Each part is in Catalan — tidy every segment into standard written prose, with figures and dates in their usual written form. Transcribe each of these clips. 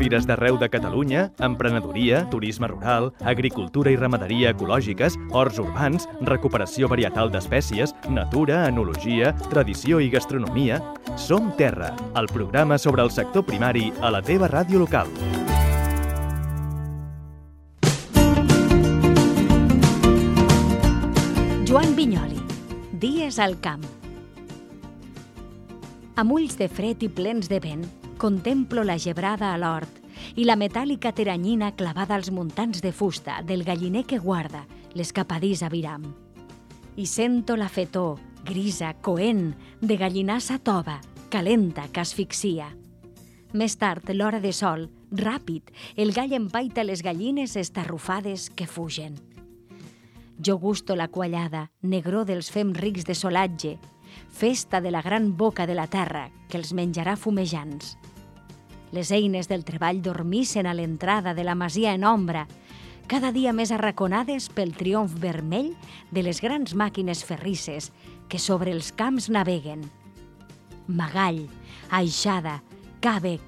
fires d'arreu de Catalunya, emprenedoria, turisme rural, agricultura i ramaderia ecològiques, horts urbans, recuperació varietal d'espècies, natura, enologia, tradició i gastronomia. Som Terra, el programa sobre el sector primari a la teva ràdio local. Joan Vinyoli, Dies al camp. Amb ulls de fred i plens de vent, contemplo la gebrada a l'hort i la metàl·lica clavada als muntants de fusta del galliner que guarda l'escapadís a Viram. I sento la fetor, grisa, coent, de gallinassa tova, calenta, que asfixia. Més tard, l'hora de sol, ràpid, el gall empaita les gallines estarrufades que fugen. Jo gusto la quallada, negró dels fems rics de solatge, festa de la gran boca de la terra que els menjarà fumejants. Les eines del treball dormissen a l'entrada de la masia en ombra, cada dia més arraconades pel triomf vermell de les grans màquines ferrisses que sobre els camps naveguen. Magall, aixada, càbec,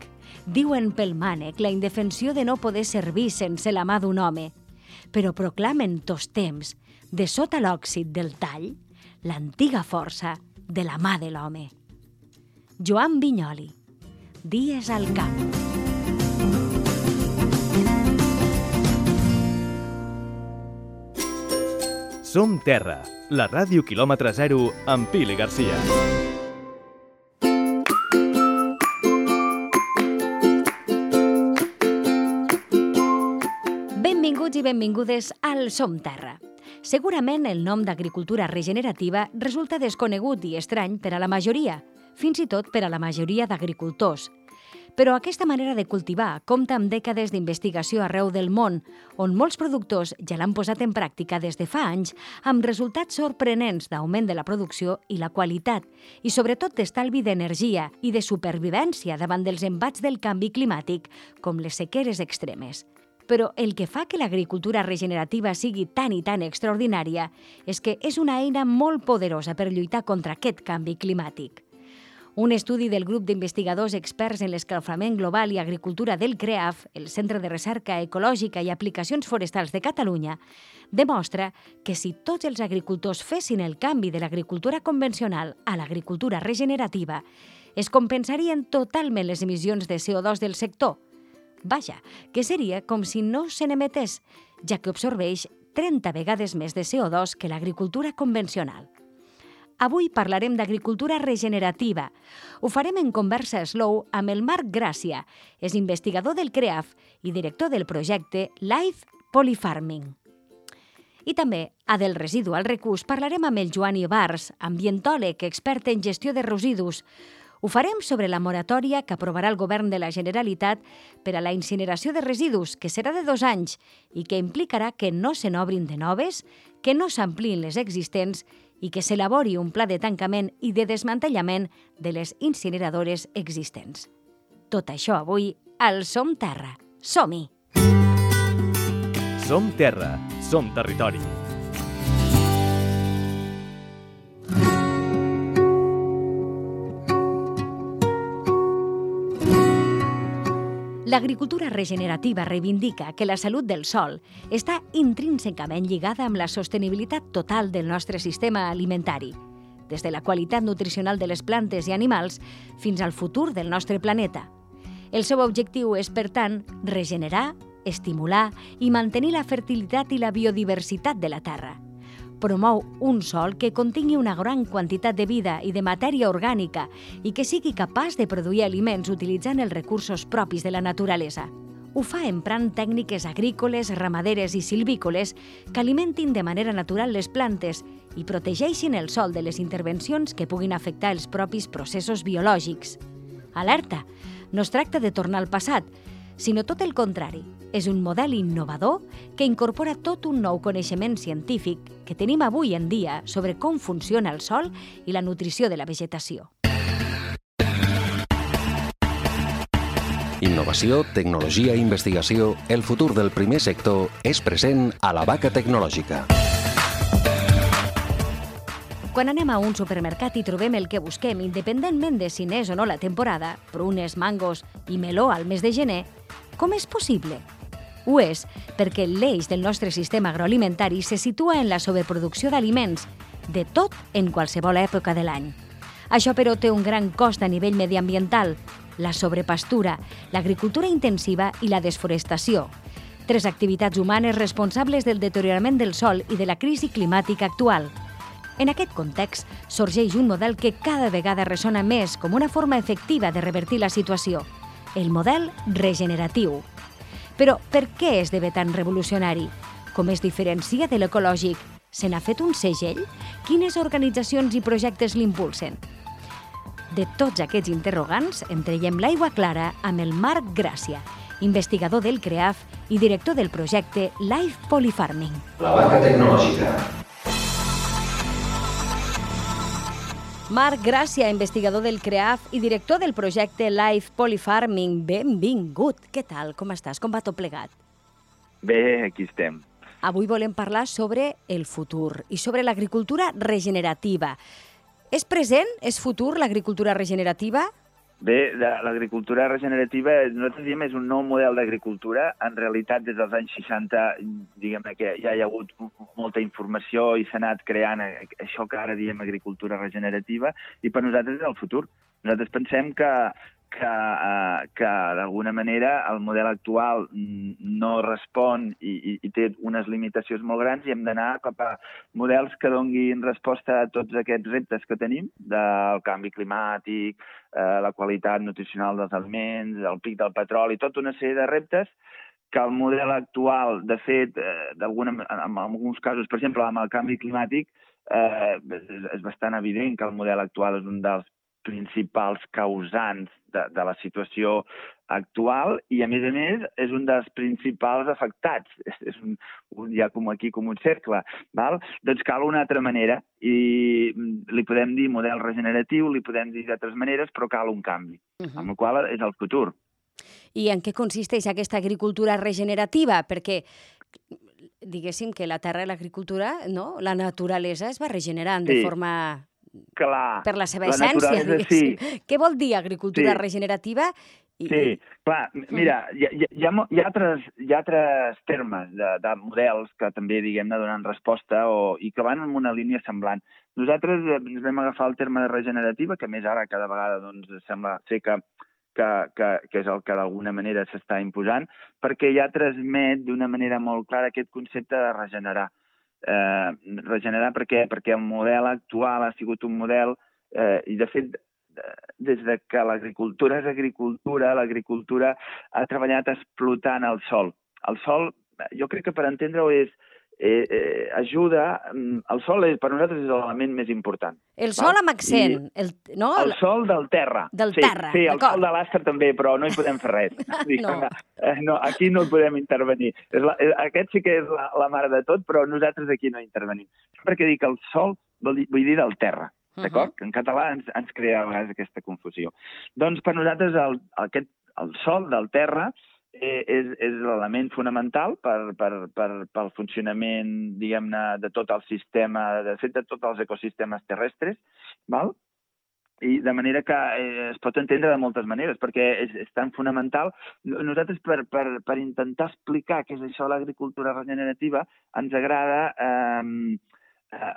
diuen pel mànec la indefensió de no poder servir sense la mà d'un home, però proclamen tots temps, de sota l'òxid del tall, l'antiga força de la mà de l'home. Joan Vinyoli, Dies al camp. Som Terra, la ràdio quilòmetre zero amb Pili Garcia. Benvinguts i benvingudes al Som Terra. Segurament el nom d'agricultura regenerativa resulta desconegut i estrany per a la majoria, fins i tot per a la majoria d'agricultors. Però aquesta manera de cultivar compta amb dècades d'investigació arreu del món, on molts productors ja l'han posat en pràctica des de fa anys, amb resultats sorprenents d'augment de la producció i la qualitat, i sobretot d'estalvi d'energia i de supervivència davant dels embats del canvi climàtic, com les sequeres extremes. Però el que fa que l'agricultura regenerativa sigui tan i tan extraordinària és que és una eina molt poderosa per lluitar contra aquest canvi climàtic. Un estudi del grup d'investigadors experts en l'escalfament global i agricultura del CREAF, el Centre de Recerca Ecològica i Aplicacions Forestals de Catalunya, demostra que si tots els agricultors fessin el canvi de l'agricultura convencional a l'agricultura regenerativa, es compensarien totalment les emissions de CO2 del sector. Vaja, que seria com si no se n'emetés, ja que absorbeix 30 vegades més de CO2 que l'agricultura convencional. Avui parlarem d'agricultura regenerativa. Ho farem en conversa slow amb el Marc Gràcia, és investigador del CREAF i director del projecte Life Polyfarming. I també, a Del residu al recurs, parlarem amb el Joan Ibars, ambientòleg, expert en gestió de residus. Ho farem sobre la moratòria que aprovarà el govern de la Generalitat per a la incineració de residus, que serà de 2 anys i que implicarà que no se n'obrin de noves, que no s'ampliïn les existents i que s'elabori un pla de tancament i de desmantellament de les incineradores existents. Tot això avui al Som Terra. Som-hi! Som Terra, som territori. L'agricultura regenerativa reivindica que la salut del sòl està intrínsecament lligada amb la sostenibilitat total del nostre sistema alimentari, des de la qualitat nutricional de les plantes i animals fins al futur del nostre planeta. El seu objectiu és, per tant, regenerar, estimular i mantenir la fertilitat i la biodiversitat de la terra. Promou un sòl que contingui una gran quantitat de vida i de matèria orgànica i que sigui capaç de produir aliments utilitzant els recursos propis de la naturalesa. Ho fa emprant tècniques agrícoles, ramaderes i silvícoles que alimentin de manera natural les plantes i protegeixin el sòl de les intervencions que puguin afectar els propis processos biològics. Alerta! No es tracta de tornar al passat, sinó tot el contrari. És un model innovador que incorpora tot un nou coneixement científic que tenim avui en dia sobre com funciona el sòl i la nutrició de la vegetació. Innovació, tecnologia i investigació, el futur del primer sector és present a la Vaca Tecnològica. Quan anem a un supermercat i trobem el que busquem, independentment de si n'és o no la temporada, prunes, mangos i meló al mes de gener, Com és possible? Ho és perquè l'eix del nostre sistema agroalimentari se situa en la sobreproducció d'aliments, de tot en qualsevol època de l'any. Això, però, té un gran cost a nivell mediambiental: la sobrepastura, l'agricultura intensiva i la desforestació. 3 activitats humanes responsables del deteriorament del sòl i de la crisi climàtica actual. En aquest context, sorgeix un model que cada vegada ressona més com una forma efectiva de revertir la situació: el model regeneratiu. Però per què esdevé tan revolucionari? Com es diferencia de l'ecològic? Se n'ha fet un segell? Quines organitzacions i projectes l'impulsen? De tots aquests interrogants, en traiem l'aigua clara amb el Marc Gràcia, investigador del CREAF i director del projecte Life Polyfarming. La vaca tecnològica. Marc Gràcia, investigador del CREAF i director del projecte Life Polyfarming. Benvingut. Què tal? Com estàs? Com va tot plegat? Bé, aquí estem. Avui volem parlar sobre el futur i sobre l'agricultura regenerativa. És present? És futur l'agricultura regenerativa? Bé, l'agricultura regenerativa, nosaltres diem, és un nou model d'agricultura. En realitat, des dels anys 60, diguem que ja hi ha hagut molta informació i s'ha anat creant això que ara diem agricultura regenerativa, i per nosaltres és el futur. Nosaltres pensem que d'alguna manera el model actual no respon i té unes limitacions molt grans, i hem d'anar cap a models que donguin resposta a tots aquests reptes que tenim, del canvi climàtic, la qualitat nutricional dels aliments, el pic del petroli, tota una sèrie de reptes que el model actual, de fet, en alguns casos, per exemple, amb el canvi climàtic, és bastant evident que el model actual és un dels principals causants de la situació actual i, a més, és un dels principals afectats. Hi ha aquí com un cercle. Val? Doncs cal una altra manera, i li podem dir model regeneratiu, li podem dir d'altres maneres, però cal un canvi, amb el qual és el futur. I en què consisteix aquesta agricultura regenerativa? Perquè diguéssim que la terra i l'agricultura, no? La naturalesa es va regenerant de forma... Clar, per la seva essència, diguéssim. Sí. Què vol dir agricultura regenerativa? Sí, clar, mira, hi ha altres termes de models que també, diguem-ne, donen resposta i que van en una línia semblant. Nosaltres ens vam agafar el terme de regenerativa, que més ara cada vegada sembla ser que és el que d'alguna manera s'està imposant, perquè ja transmet d'una manera molt clara aquest concepte de regenerar. Regenerar perquè el model actual ha sigut un model, i de fet des que l'agricultura és agricultura, l'agricultura ha treballat explotant el sòl. El sòl, jo crec que per entendre-ho ajuda, el sòl per nosaltres és l'element més important. El sòl amb accent, no? El sòl del terra. Del terra, sí, el sòl de l'astre també, però no hi podem fer res. No, aquí no hi podem intervenir. Aquest sí que és la mare de tot, però nosaltres aquí no intervenim. Sempre que dic el sòl, vull dir del terra, d'acord? En català ens crea a vegades aquesta confusió. Doncs per nosaltres el sòl del terra és l'element fonamental pel funcionament, diguem-ne, de tot el sistema, de fet, de tots els ecosistemes terrestres, val? I de manera que es pot entendre de moltes maneres, perquè és tan fonamental. Nosaltres, per intentar explicar què és això de l'agricultura regenerativa, ens agrada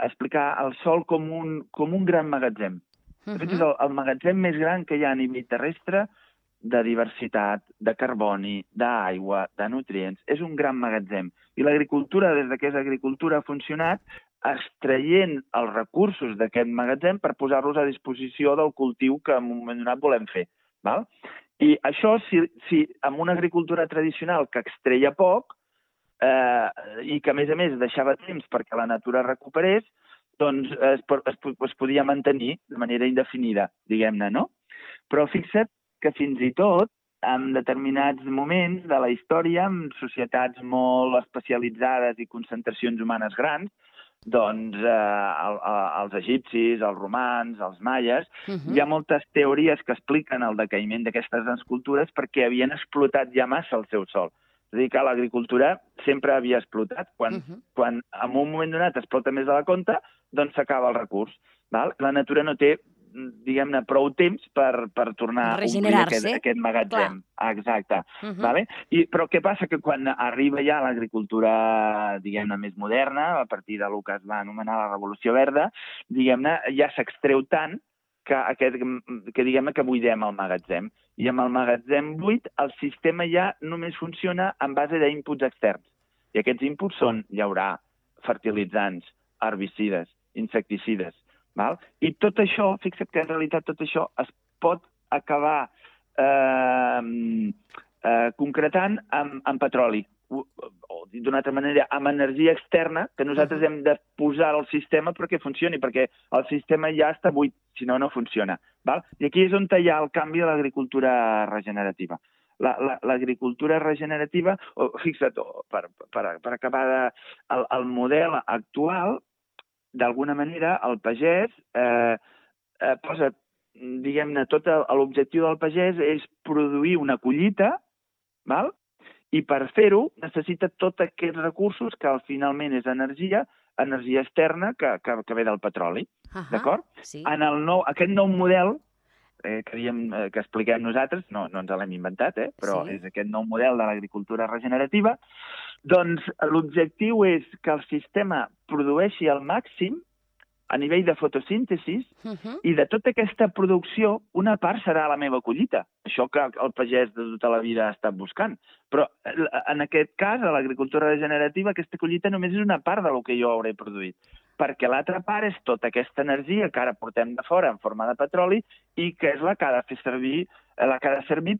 explicar el sòl com un gran magatzem. De fet, és el magatzem més gran que hi ha a nivell terrestre de diversitat, de carboni, d'aigua, de nutrients. És un gran magatzem. I l'agricultura, des que és agricultura, ha funcionat extraient els recursos d'aquest magatzem per posar-los a disposició del cultiu que en un moment donat volem fer. Val? I això, si amb una agricultura tradicional que extreia poc i que, a més, deixava temps perquè la natura recuperés, doncs es podia mantenir de manera indefinida, diguem-ne, no? Però fixa't que fins i tot, en determinats moments de la història, en societats molt especialitzades i concentracions humanes grans, doncs els egipcis, els romans, els maies, hi ha moltes teories que expliquen el decaïment d'aquestes grans cultures perquè havien explotat ja massa el seu sòl. És a dir, que l'agricultura sempre havia explotat. Quan en un moment donat explota més de la compte, doncs s'acaba el recurs. La natura no té diguem-ne, prou temps per tornar a omplir aquest magatzem. Exacte. Vale? Però què passa? Que quan arriba ja l'agricultura, diguem-ne, més moderna, a partir del que es va anomenar la Revolució Verda, diguem-ne, ja s'extreu tant que diguem que buidem el magatzem. I amb el magatzem buit, el sistema ja només funciona en base d'inputs externs. I aquests inputs són llaurar, fertilitzants, herbicides, insecticides. Val? I tot això, fixa't que en realitat tot això es pot acabar concretant amb petroli. O d'una altra manera, amb energia externa que nosaltres hem de posar al sistema perquè funcioni, perquè el sistema ja està buit, si no, no funciona. Val? I aquí és on hi ha el canvi de l'agricultura regenerativa. L'agricultura regenerativa, fixa't, per acabar el model actual, d'alguna manera, el pagès posa, diguem-ne, tot l'objectiu del pagès és produir una collita, val? I per fer-ho necessita tots aquests recursos que finalment és energia externa que ve del petroli. D'acord? Aquest nou model que expliquem nosaltres, no ens l'hem inventat, però és aquest nou model de l'agricultura regenerativa, doncs l'objectiu és que el sistema produeixi al màxim a nivell de fotosíntesi i de tota aquesta producció una part serà la meva collita. Això que el pagès de tota la vida ha estat buscant. Però en aquest cas, a l'agricultura regenerativa, aquesta collita només és una part del que jo hauré produït. Perquè l'altra part és tota aquesta energia que ara portem de fora en forma de petroli i que és la que ha de fer servir,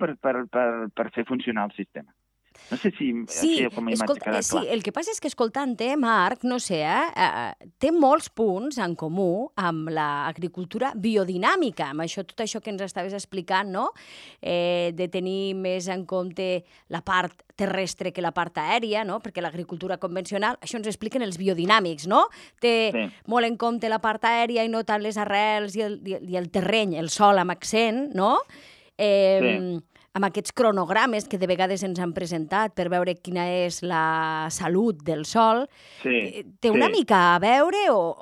per fer funcionar el sistema. No sé si com a imatge queda clar. Sí, el que passa és que escoltant-te, Marc, no sé, té molts punts en comú amb l'agricultura biodinàmica, amb tot això que ens estaves explicant, no? De tenir més en compte la part terrestre que la part aèria, no? Perquè l'agricultura convencional, això ens expliquen els biodinàmics, no? Té molt en compte la part aèria i no tant les arrels i el terreny, el sòl amb accent, no? Amb aquests cronogrames que de vegades ens han presentat per veure quina és la salut del sòl, té una mica a veure o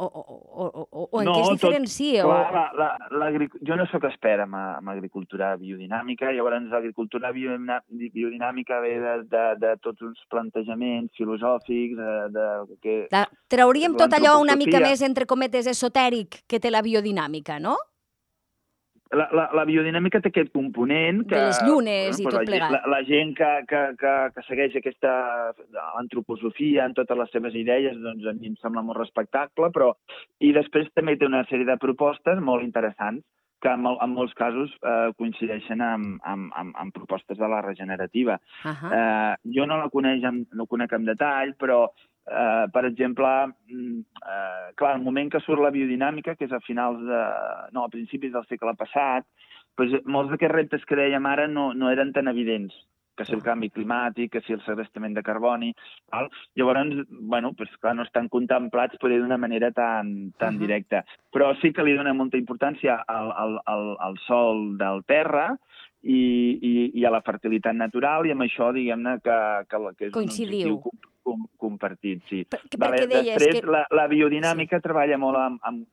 en què es diferencia? Jo no sóc expert en agricultura biodinàmica, llavors l'agricultura biodinàmica ve de tots uns plantejaments filosòfics. Trauríem tot allò una mica més, entre cometes, esotèric que té la biodinàmica, no? La biodinàmica té aquest component de les llunes i tot plegat. La gent que segueix aquesta antroposofia en totes les seves idees, doncs a mi em sembla molt respectable, però i després també té una sèrie de propostes molt interessants que en molts casos coincideixen amb propostes de la regenerativa. Jo no la conec en detall, però per exemple, clar, al moment que surt la biodinàmica, que és a principis del segle passat, molts d'aquests reptes que dèiem ara no eren tan evidents, que si el canvi climàtic, que si el segrestament de carboni. Llavors, clar, no estan contemplats poder d'una manera tan directa. Però sí que li dona molta importància al sòl del terra i a la fertilitat natural, i amb això, diguem-ne, que és un objectiu compartit, sí. Després, la biodinàmica treballa molt amb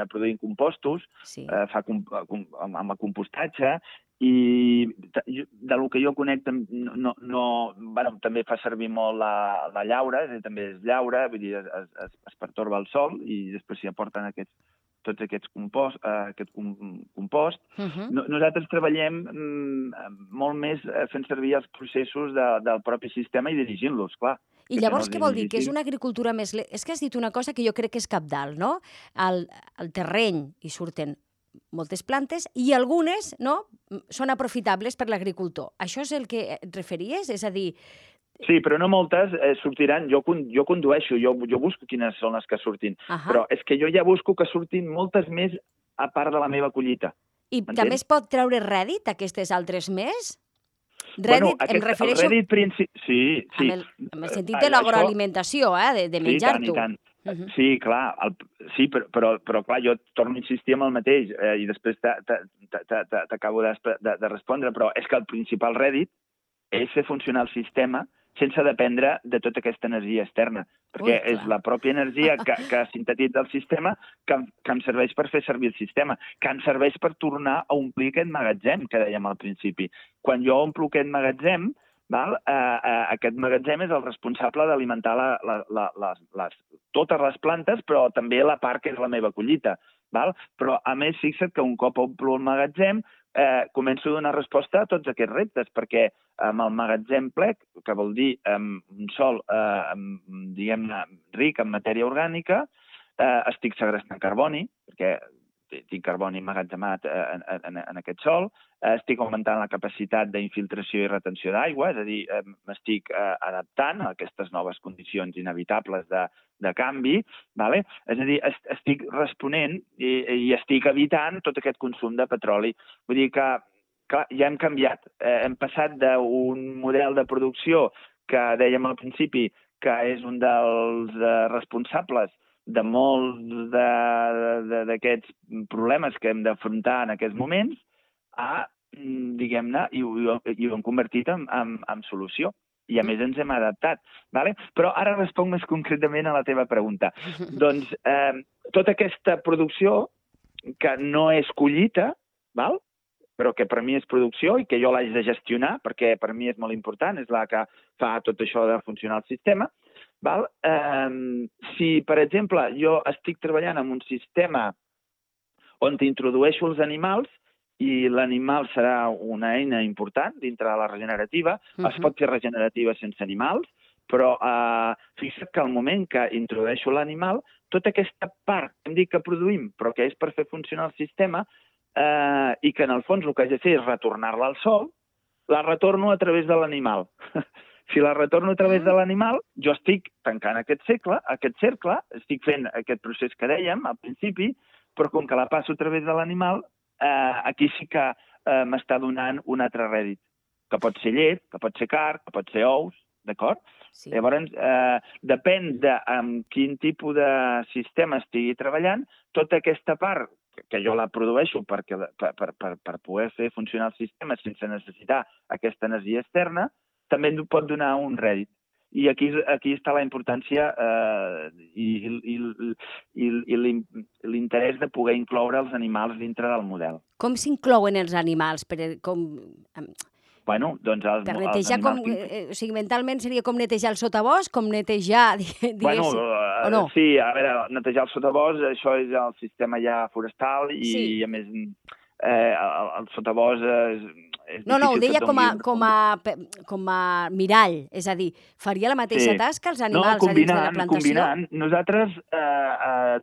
produint compostos, amb el compostatge, i del que jo conec també fa servir molt la llaura, també és llaura, vull dir, es pertorba el sòl i després s'hi aporten tots aquests compost. Nosaltres treballem molt més fent servir els processos del propi sistema i dirigint-los, clar. I llavors què vol dir? Que és una agricultura més... És que has dit una cosa que jo crec que és cabdal, no? Al terreny hi surten moltes plantes i algunes són aprofitables per l'agricultor. Això és el que et referies? És a dir... Sí, però no moltes sortiran. Jo condueixo, jo busco quines són les que surtin. Però és que jo ja busco que surtin moltes més a part de la meva collita. I també es pot treure rèdit, aquestes altres més? Rèdit, em refereixo... Sí. En el sentit de l'agroalimentació, de menjar-t'ho. Sí, clar, però clar, jo torno a insistir en el mateix i després t'acabo de respondre, però és que el principal rèdit és fer funcionar el sistema sense dependre de tota aquesta energia externa, perquè és la pròpia energia que sintetitza el sistema que em serveix per fer servir el sistema, que em serveix per tornar a omplir aquest magatzem que dèiem al principi. Quan jo omplo aquest magatzem, aquest magatzem és el responsable d'alimentar totes les plantes, però també la part que és la meva collita. Però, a més, fixa't que un cop omplo el magatzem, començo a donar resposta a tots aquests reptes, perquè amb el magatzem ple, que vol dir un sòl, diguem-ne, ric en matèria orgànica, estic segrestant carboni, perquè tinc carboni emmagatzemat en aquest sòl, estic augmentant la capacitat d'infiltració i retenció d'aigua, és a dir, m'estic adaptant a aquestes noves condicions inevitables de canvi, és a dir, estic responent i estic evitant tot aquest consum de petroli. Vull dir que, clar, ja hem canviat. Hem passat d'un model de producció que dèiem al principi que és un dels responsables de molts d'aquests problemes que hem d'afrontar en aquests moments, diguem-ne, i ho hem convertit en solució. I a més ens hem adaptat. Però ara responc més concretament a la teva pregunta. Doncs tota aquesta producció que no és collita, però que per mi és producció i que jo l'haig de gestionar, perquè per mi és molt important, és la que fa tot això de funcionar el sistema. Si, per exemple, jo estic treballant en un sistema on introdueixo els animals i l'animal serà una eina important dintre de la regenerativa, es pot fer regenerativa sense animals, però fixa't que al moment que introdueixo l'animal, tota aquesta part que hem dit que produïm, però que és per fer funcionar el sistema, i que en el fons el que haig de fer és retornar-la al sol, la retorno a través de l'animal. Si la retorno a través de l'animal, jo estic tancant aquest cercle, estic fent aquest procés que dèiem al principi, però com que la passo a través de l'animal, aquí sí que m'està donant un altre rèdit, que pot ser llet, que pot ser carn, que pot ser ous, d'acord? Sí. Llavors, depèn de amb quin tipus de sistema estigui treballant, tota aquesta part que jo la produeixo per poder fer funcionar el sistema sense necessitar aquesta energia externa, també ens pot donar un rèdit. I aquí està la importància i l'interès de poder incloure els animals dintre del model. Com s'inclouen els animals? Bueno, doncs els netejar o sigui, mentalment seria com netejar el sotabosc, com netejar, diguéssim, o no? Sí, a veure, netejar el sotabosc, això és el sistema ja forestal i, a més, el sotabosc és no, ho deia com a mirall, és a dir, faria la mateixa tasca els animals a dins de la plantació? Combinant. Nosaltres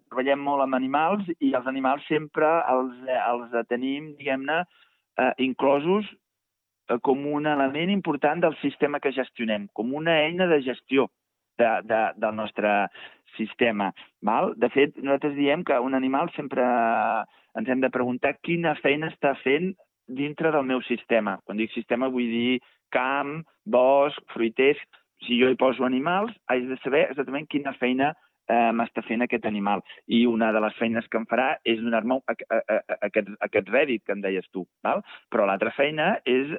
treballem molt amb animals i els animals sempre els tenim, diguem-ne, inclosos com un element important del sistema que gestionem, com una eina de gestió del nostre sistema. De fet, nosaltres diem que un animal sempre ens hem de preguntar quina feina està fent dintre del meu sistema. Quan dic sistema vull dir camp, bosc, fruiters. Si jo hi poso animals, haig de saber exactament quina feina m'està fent aquest animal. I una de les feines que em farà és donar-me aquest rèdit que em deies tu. Però l'altra feina és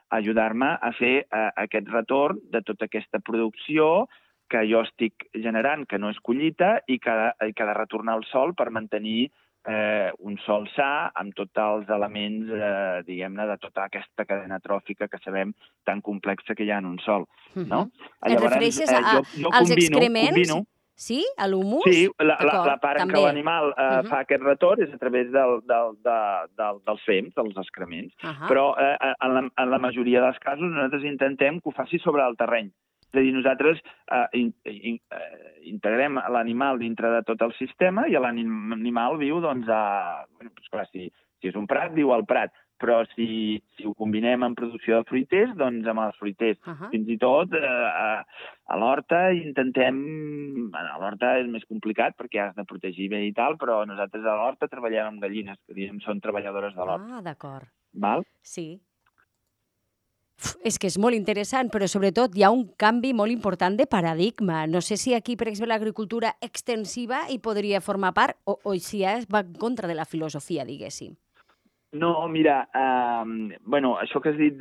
ajudar-me a fer aquest retorn de tota aquesta producció que jo estic generant, que no és collita, i que ha de retornar al sol per mantenir un sòl sa amb tots els elements, diguem-ne, de tota aquesta cadena tròfica que sabem tan complexa que hi ha en un sòl. Et refereixes als excrements? Sí? A l'humus? Sí, la part en què l'animal fa aquest retorn és a través dels fems, dels excrements. Però en la majoria dels casos nosaltres intentem que ho faci sobre el terreny. És a dir, nosaltres integrem l'animal dintre de tot el sistema i l'animal viu, doncs, clar, si és un prat, viu al prat. Però si ho combinem amb producció de fruiters, doncs amb els fruiters. Fins i tot a l'horta intentem... A l'horta és més complicat perquè has de protegir bé i tal, però nosaltres a l'horta treballem amb gallines, que diguem són treballadores de l'horta. D'acord. Val? Sí. És que és molt interessant, però sobretot hi ha un canvi molt important de paradigma. No sé si aquí, per exemple, l'agricultura extensiva hi podria formar part o si va en contra de la filosofia, diguéssim. No, mira, això que has dit,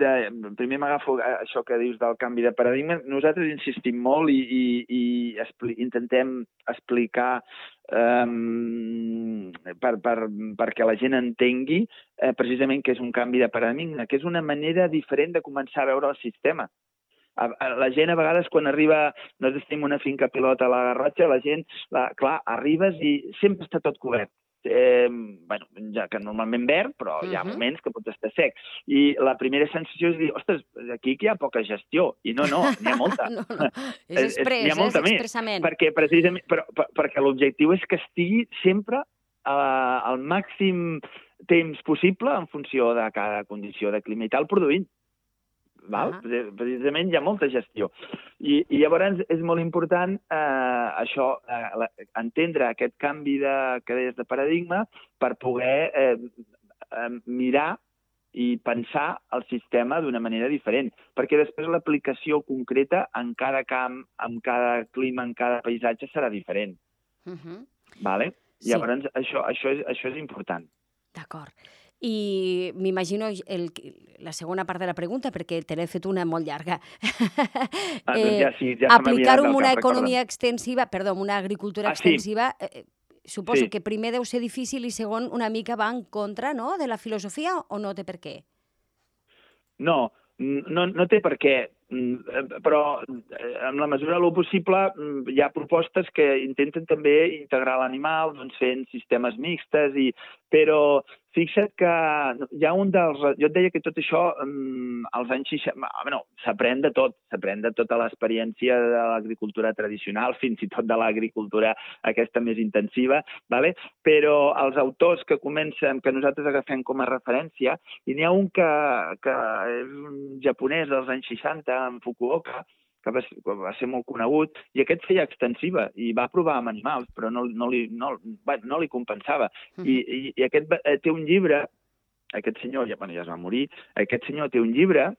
primer m'agafo això que dius del canvi de paradigma. Nosaltres insistim molt i intentem explicar perquè la gent entengui precisament que és un canvi de paradigma, que és una manera diferent de començar a veure el sistema. La gent a vegades quan arriba, nosaltres tenim una finca pilota a la Garrotxa, la gent, clar, arribes i sempre està tot cobert. Ja que normalment verd, però hi ha moments que pot estar sec. I la primera sensació és dir, ostres, aquí hi ha poca gestió. I no, n'hi ha molta. No. És express, és expressament. Perquè l'objectiu és que estigui sempre al màxim temps possible en funció de cada condició de clima i tal, produint. Precisament hi ha molta gestió. I llavors és molt important això, entendre aquest canvi que deies de paradigma per poder mirar i pensar el sistema d'una manera diferent, perquè després l'aplicació concreta en cada camp, en cada clima, en cada paisatge serà diferent. Llavors això és important. D'acord. I m'imagino la segona part de la pregunta, perquè te l'he fet una molt llarga. Aplicar-ho en una economia extensiva, perdó, en una agricultura extensiva, suposo que primer deu ser difícil i segon una mica va en contra de la filosofia o no té per què? No té per què, però en la mesura del possible hi ha propostes que intenten també integrar l'animal fent sistemes mixtes, però fixa't que hi ha jo et deia que tot això als anys 60... s'aprèn de tot, s'aprèn de tota l'experiència de l'agricultura tradicional, fins i tot de l'agricultura aquesta més intensiva, però els autors que nosaltres agafem com a referència, i n'hi ha un que és un japonès dels anys 60, en Fukuoka, que va ser molt conegut, i aquest feia extensiva, i va provar amb animals, però no li compensava. I aquest té un llibre, aquest senyor, ja es va morir, aquest senyor té un llibre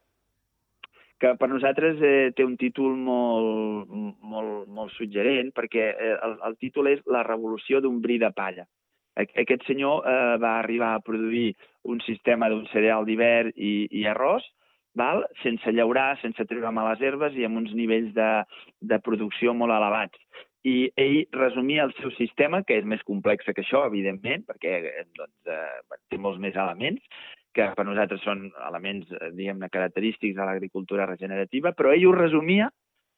que per nosaltres té un títol molt suggerent, perquè el títol és La revolució d'un bri de palla. Aquest senyor va arribar a produir un sistema d'un cereal d'hivern i arròs, sense llaurar, sense treure males herbes i amb uns nivells de producció molt elevats. I ell resumia el seu sistema, que és més complex que això, evidentment, perquè té molts més elements, que per nosaltres són elements, diguem-ne, característics de l'agricultura regenerativa, però ell ho resumia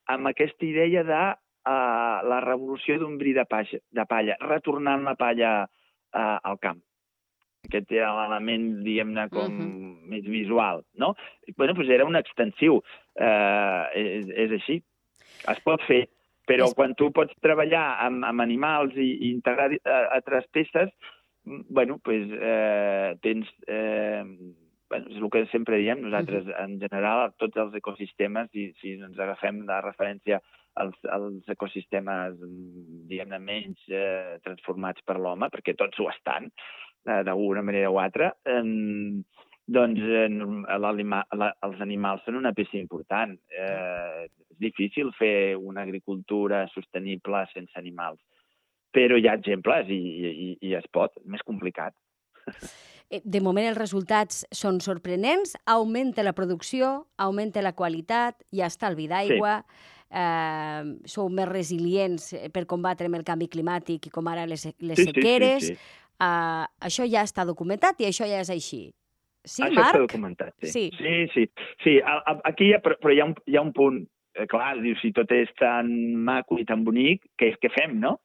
amb aquesta idea de la revolució d'un bri de palla, retornant la palla al camp. Aquest era l'element, diguem-ne, com més visual, no? Bé, doncs era un extensiu. És així. Es pot fer, però quan tu pots treballar amb animals i integrar altres peces, bé, doncs tens... És el que sempre diem nosaltres, en general, tots els ecosistemes, i si ens agafem de referència als ecosistemes, diguem-ne, menys transformats per l'home, perquè tots ho estan, d'alguna manera o altra, doncs els animals són una peça important. És difícil fer una agricultura sostenible sense animals, però hi ha exemples i es pot, és més complicat. De moment els resultats són sorprenents, augmenta la producció, augmenta la qualitat, hi ha estalvi d'aigua, sou més resilients per combatre el canvi climàtic i com ara les sequeres. Això ja està documentat i això ja és així. Sí, Marc? Això està documentat, sí. Sí, aquí però hi ha un punt. Clar, dius, si tot és tan maco i tan bonic, què fem, no?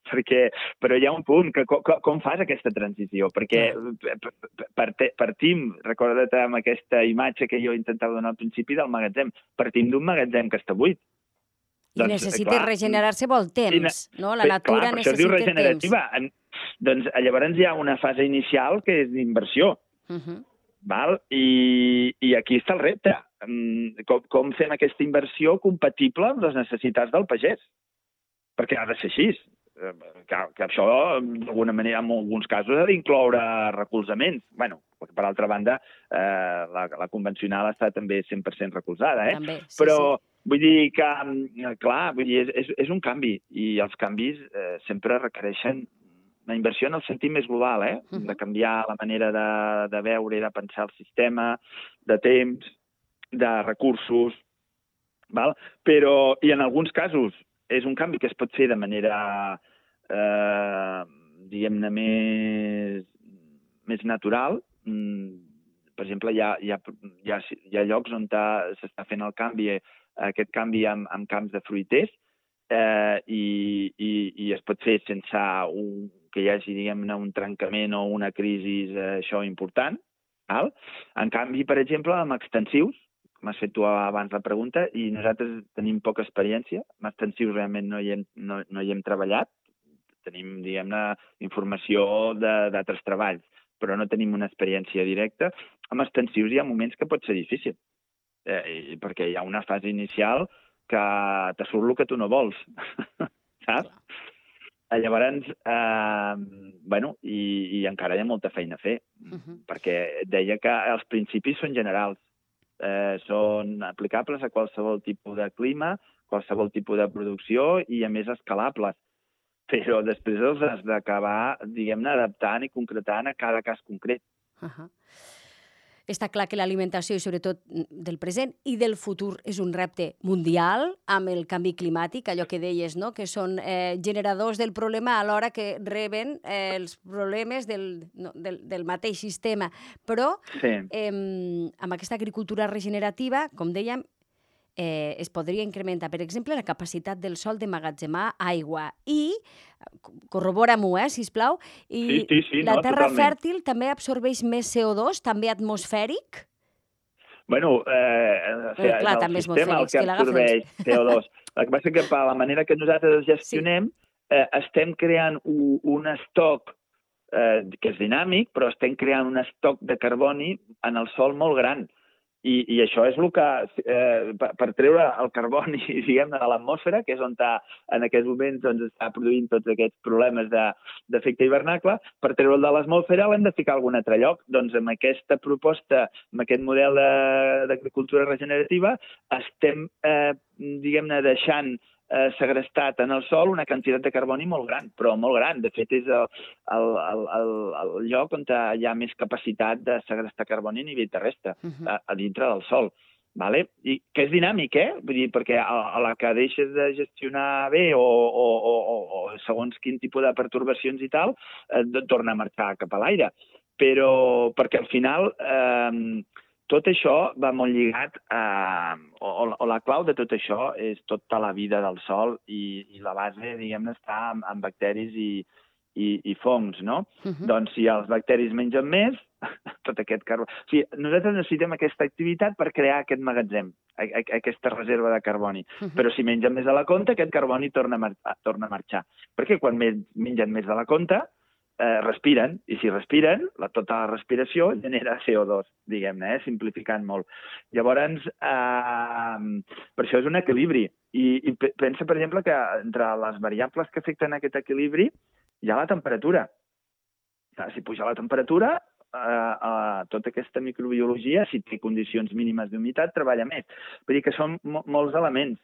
Però hi ha un punt, que com fas aquesta transició? Perquè partim, recorda't amb aquesta imatge que jo intentava donar al principi del magatzem, partim d'un magatzem que està buit. I necessita regenerar-se vol temps, no? La natura necessita temps. Doncs llavors hi ha una fase inicial que és d'inversió. I aquí està el repte. Com fem aquesta inversió compatible amb les necessitats del pagès? Perquè ha de ser així. Que això, d'alguna manera, en alguns casos, ha d'incloure recolzaments. Bé, per altra banda, la convencional està també 100% recolzada, però vull dir que, clar, és un canvi, i els canvis sempre requereixen La inversió en el sentit més global, de canviar la manera de veure i de pensar el sistema, de temps, de recursos, val? Però, i en alguns casos, és un canvi que es pot fer de manera, diguem-ne, més natural. Per exemple, hi ha llocs on s'està fent aquest canvi amb camps de fruiters, i es pot fer sense que hi hagi, diguem-ne, un trencament o una crisi això important. En canvi, per exemple, amb extensius, m'has fet tu abans la pregunta, i nosaltres tenim poca experiència. Amb extensius realment no hi hem treballat. Tenim, diguem-ne, informació d'altres treballs, però no tenim una experiència directa. Amb extensius hi ha moments que pot ser difícil, perquè hi ha una fase inicial que te surt el que tu no vols, saps? Llavors, i encara hi ha molta feina a fer, perquè et deia que els principis són generals, són aplicables a qualsevol tipus de clima, qualsevol tipus de producció i, a més, escalables. Però després els has d'acabar, diguem-ne, adaptant i concretant a cada cas concret. Està clar que l'alimentació, i sobretot del present i del futur, és un repte mundial amb el canvi climàtic, allò que deies, no? Que són generadors del problema alhora que reben els problemes del mateix sistema. Però amb aquesta agricultura regenerativa, com dèiem, es podria incrementar, per exemple, la capacitat del sòl d'emmagatzemar aigua i, corrobora-m'ho, sisplau, i la terra fèrtil també absorbeix més CO2, també atmosfèric? Bueno, clar, també el sistema el que absorbeix CO2. El que passa que per la manera que nosaltres el gestionem, estem creant un estoc que és dinàmic, però estem creant un estoc de carboni en el sòl molt gran. I això és el que, per treure el carboni, diguem-ne, de l'atmosfera, que és on en aquests moments està produint tots aquests problemes d'efecte hivernacle, per treure'l de l'atmosfera l'hem de ficar a algun altre lloc. Doncs amb aquesta proposta, amb aquest model d'agricultura regenerativa, estem, diguem-ne, deixant segrestat en el sòl una quantitat de carboni molt gran, però molt gran. De fet, és el lloc on hi ha més capacitat de segrestar carboni a nivell terrestre, a dintre del sòl. I que és dinàmic, Vull dir, perquè a la que deixes de gestionar bé o segons quin tipus de pertorbacions i tal, torna a marxar cap a l'aire. Però perquè al final tot això va molt lligat o la clau de tot això és tota la vida del sòl i la base, diguem-ne, està en bacteris i fongs, no? Doncs si els bacteris mengen més, tot aquest carboni... O sigui, nosaltres necessitem aquesta activitat per crear aquest magatzem, aquesta reserva de carboni. Però si mengen més de la compte, aquest carboni torna a marxar. Perquè quan mengen més de la compte, respiren, i si respiren, tota la respiració genera CO2, diguem-ne, simplificant molt. Llavors, per això és un equilibri. I pensa, per exemple, que entre les variables que afecten aquest equilibri hi ha la temperatura. Si puja la temperatura, tota aquesta microbiologia, si té condicions mínimes d'humitat, treballa més. Vull dir que són molts elements.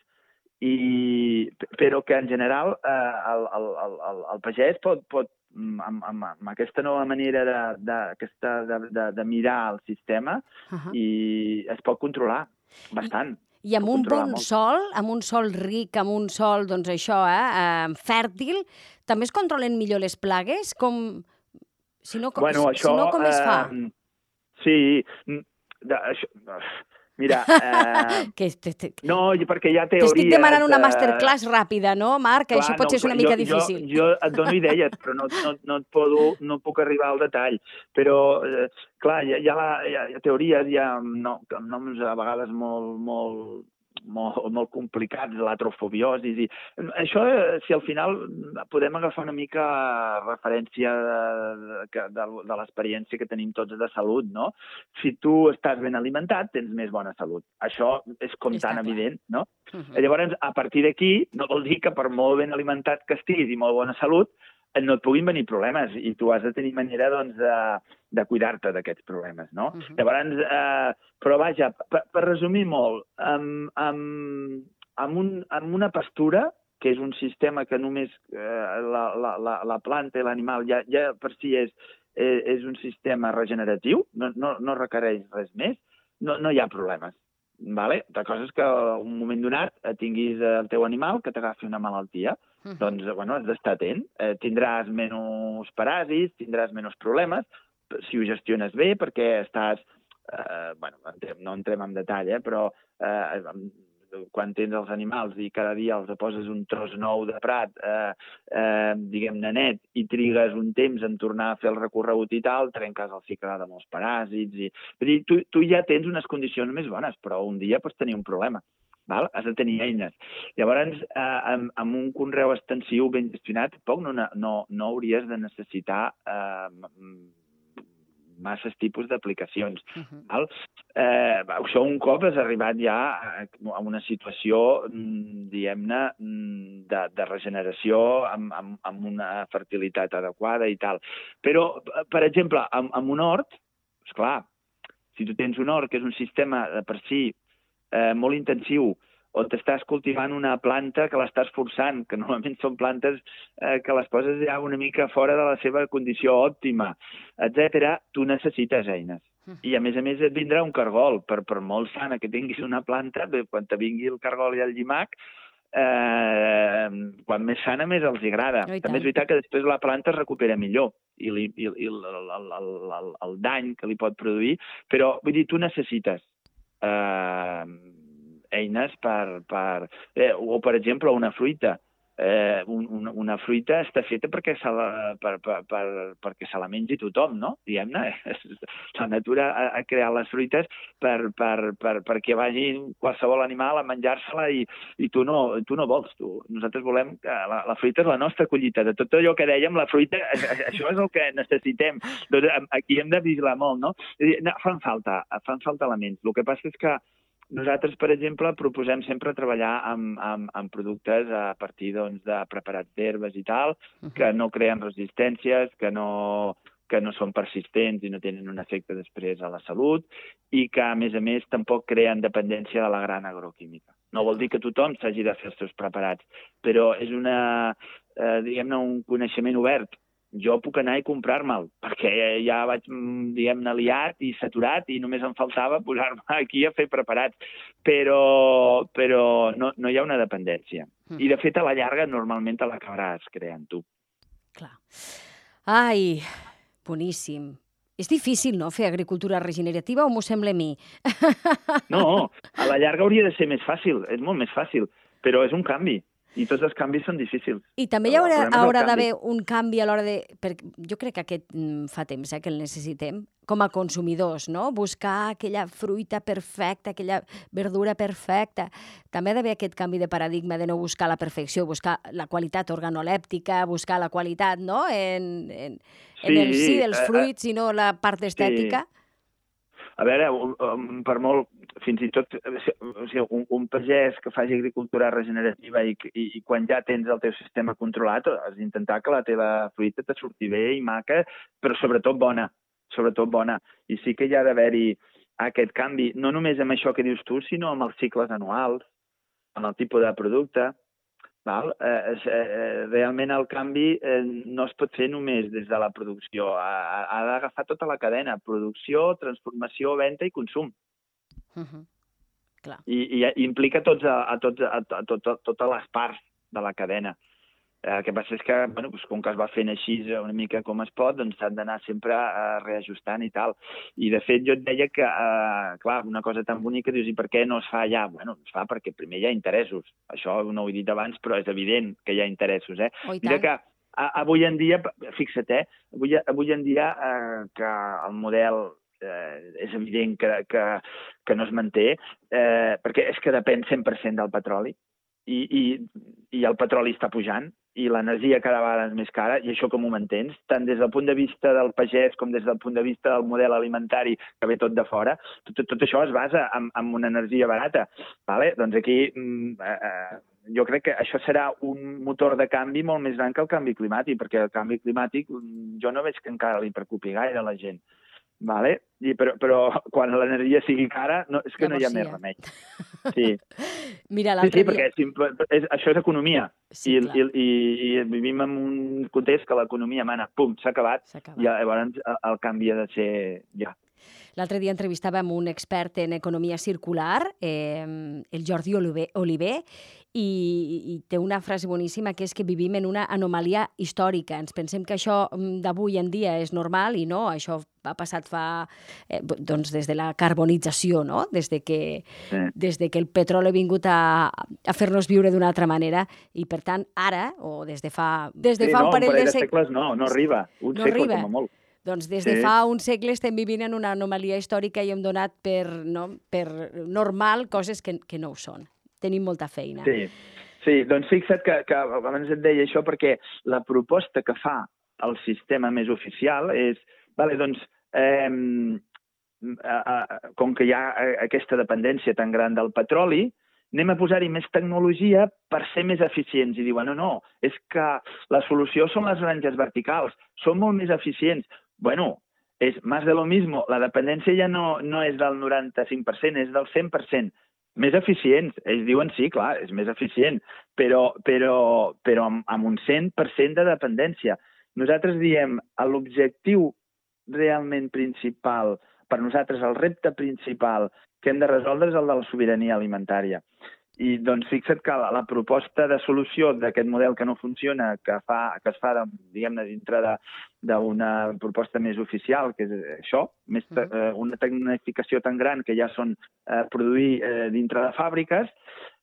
Però que, en general, el pagès pot amb aquesta nova manera de mirar el sistema i es pot controlar bastant. I amb un bon sòl, amb un sòl ric, amb un sòl, doncs això, fèrtil, també es controlen millor les plagues? Si no, com es fa? Sí, mira... No, perquè hi ha teories... T'estic demanant una masterclass ràpida, no, Marc? Que això potser és una mica difícil. Jo et dono idees, però no puc arribar al detall. Però, clar, hi ha teories, hi ha noms a vegades molt complicats, l'atrofobiosi. Això, si al final podem agafar una mica referència de l'experiència que tenim tots de salut, no? Si tu estàs ben alimentat, tens més bona salut. Això és com tan evident, no? Llavors, a partir d'aquí, no vol dir que per molt ben alimentat que estiguis i molt bona salut, no et puguin venir problemes i tu has de tenir manera, doncs, de cuidar-te d'aquests problemes, no? Llavors, però vaja, per resumir molt, amb una pastura que és un sistema que només la planta i l'animal ja per si és un sistema regeneratiu, no requereix res més, no hi ha problemes. Vale? La cosa és que en un moment donat tinguis el teu animal que t'agafi una malaltia. Doncs, bueno, has d'estar atent. Tindràs menys paràsits, tindràs menys problemes, si ho gestiones bé, perquè estàs... bueno, no entrem en detall, però quan tens els animals i cada dia els poses un tros nou de prat, diguem-ne net, i trigues un temps en tornar a fer el recorregut i tal, trenques el cicle de molts paràsits. Vull dir, tu ja tens unes condicions més bones, però un dia pots tenir un problema. Val? Has de tenir eines. Llavors, amb un conreu extensiu ben gestionat, tampoc no hauries de necessitar masses tipus d'aplicacions. Això un cop has arribat ja a una situació, diguem-ne, de regeneració amb una fertilitat adequada i tal. Però, per exemple, amb un hort, esclar, si tu tens un hort que és un sistema de per si molt intensiu, on t'estàs cultivant una planta que l'estàs forçant, que normalment són plantes que les poses ja una mica fora de la seva condició òptima, etc., tu necessites eines. I, a més, et vindrà un cargol. Per molt sana que tinguis una planta, quan te vingui el cargol i el llimac, quan més sana, més els agrada. També és veritat que després la planta es recupera millor i el dany que li pot produir, però, vull dir, tu necessites eines o, per exemple, una fruita. Una fruita està feta perquè se la mengi tothom, no? Diguem-ne, la natura ha creat les fruites perquè vagi qualsevol animal a menjar-se-la i tu no vols. Nosaltres volem que la fruita és la nostra collita. De tot allò que dèiem, la fruita, això és el que necessitem. Aquí hem de vigilar molt, no? Fan falta elements. El que passa és que nosaltres, per exemple, proposem sempre treballar amb productes a partir de preparats d'herbes i tal, que no creen resistències, que no són persistents i no tenen un efecte després a la salut i que, a més, tampoc creen dependència de la gran agroquímica. No vol dir que tothom s'hagi de fer els seus preparats, però és diguem-ne, un coneixement obert. Jo puc anar i comprar-me'l, perquè ja vaig, diguem-ne, liat i saturat i només em faltava posar-me aquí a fer preparats. Però no hi ha una dependència. I, de fet, a la llarga, normalment te l'acabaràs creant tu. Clar. Ai, boníssim. És difícil, no?, fer agricultura regenerativa, o m'ho sembla a mi? No, a la llarga hauria de ser més fàcil, és molt més fàcil, però és un canvi. I tots els canvis són difícils. I també hi haurà d'haver un canvi a l'hora de... Jo crec que aquest fa temps que el necessitem, com a consumidors, no? Buscar aquella fruita perfecta, aquella verdura perfecta. També ha d'haver aquest canvi de paradigma de no buscar la perfecció, buscar la qualitat organolèptica, buscar la qualitat, no?, en el si dels fruits i no la part estètica. A veure, per molt, fins i tot, un pagès que faci agricultura regenerativa i quan ja tens el teu sistema controlat, has d'intentar que la teva fruita te surti bé i maca, però sobretot bona. I sí que hi ha d'haver-hi aquest canvi, no només amb això que dius tu, sinó amb els cicles anuals, amb el tipus de producte. Realment el canvi no es pot fer només des de la producció. Ha d'agafar tota la cadena: producció, transformació, venda i consum. I implica totes les parts de la cadena. El que passa és que, com que es va fent així una mica com es pot, doncs s'han d'anar sempre reajustant i tal. I, de fet, jo et deia que, clar, una cosa tan bonica, dius, i per què no es fa ja? Bueno, es fa perquè primer hi ha interessos. Això no ho he dit abans, però és evident que hi ha interessos, Mira que avui en dia, fixa't, avui en dia que el model és evident que no es manté, perquè és que depèn 100% del petroli, i el petroli està pujant, i l'energia cada vegada és més cara, i això com ho mantens? Tant des del punt de vista del pagès com des del punt de vista del model alimentari que ve tot de fora, tot això es basa en una energia barata. Doncs aquí jo crec que això serà un motor de canvi molt més gran que el canvi climàtic, perquè el canvi climàtic jo no veig que encara li preocupi gaire a la gent. vale? Però quan l'energia sigui cara, és que no hi ha més remei. Sí. Mira, Sí, perquè això és economia. Sí, I vivim en un context que l'economia mana, pum, s'ha acabat. I llavors el canvi ha de ser ja. L'altre dia entrevistàvem un expert en economia circular, el Jordi Oliver, i té una frase boníssima que és que vivim en una anomalia històrica. Ens pensem que això d'avui en dia és normal i no, això ha passat des de la carbonització, no? Des de que el petroli ha vingut a fer-nos viure d'una altra manera i, per tant, ara, o des de fa un parell de segles no arriba, un segle com a molt. Doncs des de fa un segle estem vivint en una anomalia històrica i hem donat per normal coses que no ho són. Tenim molta feina. Sí, doncs fixa't que abans et deia això perquè la proposta que fa el sistema més oficial és, com que hi ha aquesta dependència tan gran del petroli, anem a posar-hi més tecnologia per ser més eficients. I diuen, no, és que la solució són les granges verticals, són molt més eficients. Bueno, és més de lo mismo. La dependència ja no és del 95%, és del 100%. Més eficients. Ells diuen, sí, clar, és més eficient, però amb un 100% de dependència. Nosaltres diem, l'objectiu realment principal, per nosaltres el repte principal que hem de resoldre és el de la sobirania alimentària. I doncs fixa't que la proposta de solució d'aquest model que no funciona, que es fa diguem-ne, dintre d'una proposta més oficial, que és això, una tecnificació tan gran que ja són produir dintre de fàbriques,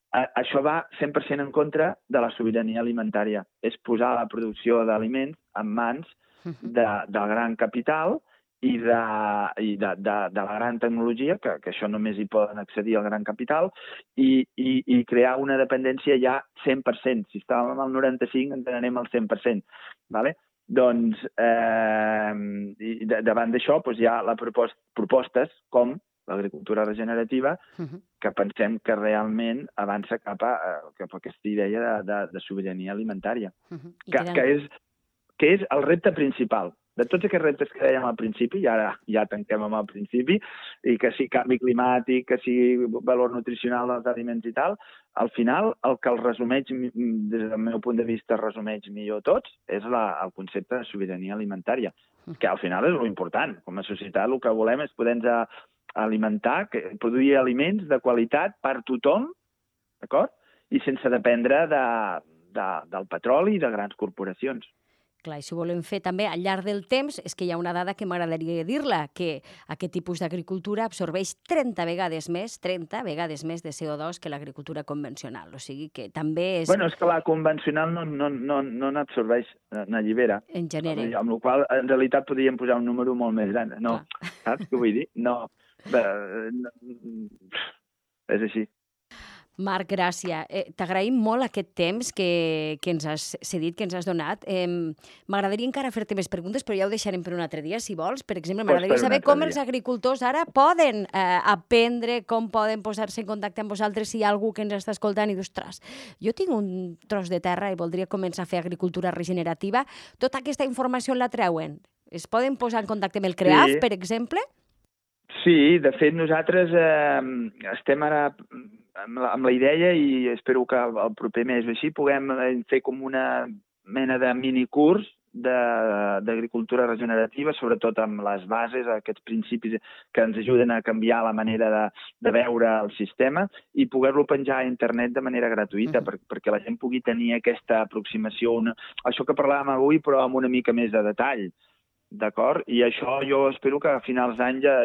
això va 100% en contra de la sobirania alimentària. És posar la producció d'aliments en mans del gran capital i de la gran tecnologia, que això només hi poden accedir al gran capital, i crear una dependència ja 100%. Si estàvem al 95%, ens n'anem al 100%. Doncs, davant d'això, hi ha propostes com l'agricultura regenerativa, que pensem que realment avança cap a aquesta idea de sobirania alimentària, que és el repte principal. De tots aquests reptes que dèiem al principi, i ara ja tanquem amb el principi, i que sigui canvi climàtic, que sigui valor nutricional dels aliments i tal, al final el que el resumeix, des del meu punt de vista, resumeix millor tots, és el concepte de sobirania alimentària, que al final és l'important. Com a societat el que volem és poder-nos alimentar, produir aliments de qualitat per tothom, d'acord? I sense dependre del petroli i de grans corporacions. Clar, i si ho volem fer també al llarg del temps, és que hi ha una dada que m'agradaria dir-la, que aquest tipus d'agricultura absorbeix 30 vegades més de CO2 que l'agricultura convencional. O sigui que també és... Bueno, és que la convencional no n'absorbeix, n'allibera. En genera. Amb la qual cosa, en realitat, podríem posar un número molt més gran. No, saps què vull dir? No. És així. Marc, gràcies. T'agraïm molt aquest temps que ens has cedit, que ens has donat. M'agradaria encara fer-te més preguntes, però ja ho deixarem per un altre dia, si vols. Per exemple, m'agradaria saber com els agricultors ara poden aprendre, com poden posar-se en contacte amb vosaltres si hi ha algú que ens està escoltant i dius, ostres, jo tinc un tros de terra i voldria començar a fer agricultura regenerativa. Tota aquesta informació la treuen? Es poden posar en contacte amb el CREAF, per exemple? Sí, de fet, nosaltres estem ara amb la idea, i espero que el proper mes o així puguem fer com una mena de minicurs d'agricultura regenerativa, sobretot amb les bases, aquests principis que ens ajuden a canviar la manera de veure el sistema i poder-lo penjar a internet de manera gratuïta perquè la gent pugui tenir aquesta aproximació, això que parlàvem avui, però amb una mica més de detall. D'acord? I això jo espero que a finals d'any ja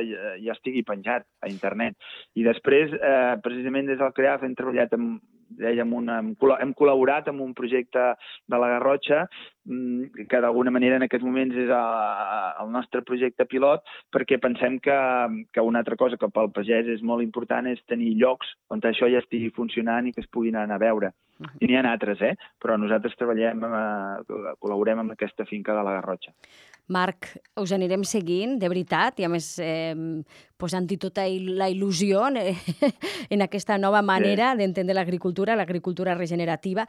estigui penjat a internet. I després, precisament des del CREAF, hem treballat hem col·laborat amb un projecte de la Garrotxa que d'alguna manera en aquests moments és el nostre projecte pilot, perquè pensem que una altra cosa que pel pagès és molt important és tenir llocs on això ja estigui funcionant i que es puguin anar a veure. I n'hi ha altres, però nosaltres col·laborem amb aquesta finca de la Garrotxa. Marc, us anirem seguint, de veritat, i a més posant-hi tota la il·lusió en aquesta nova manera d'entendre l'agricultura regenerativa.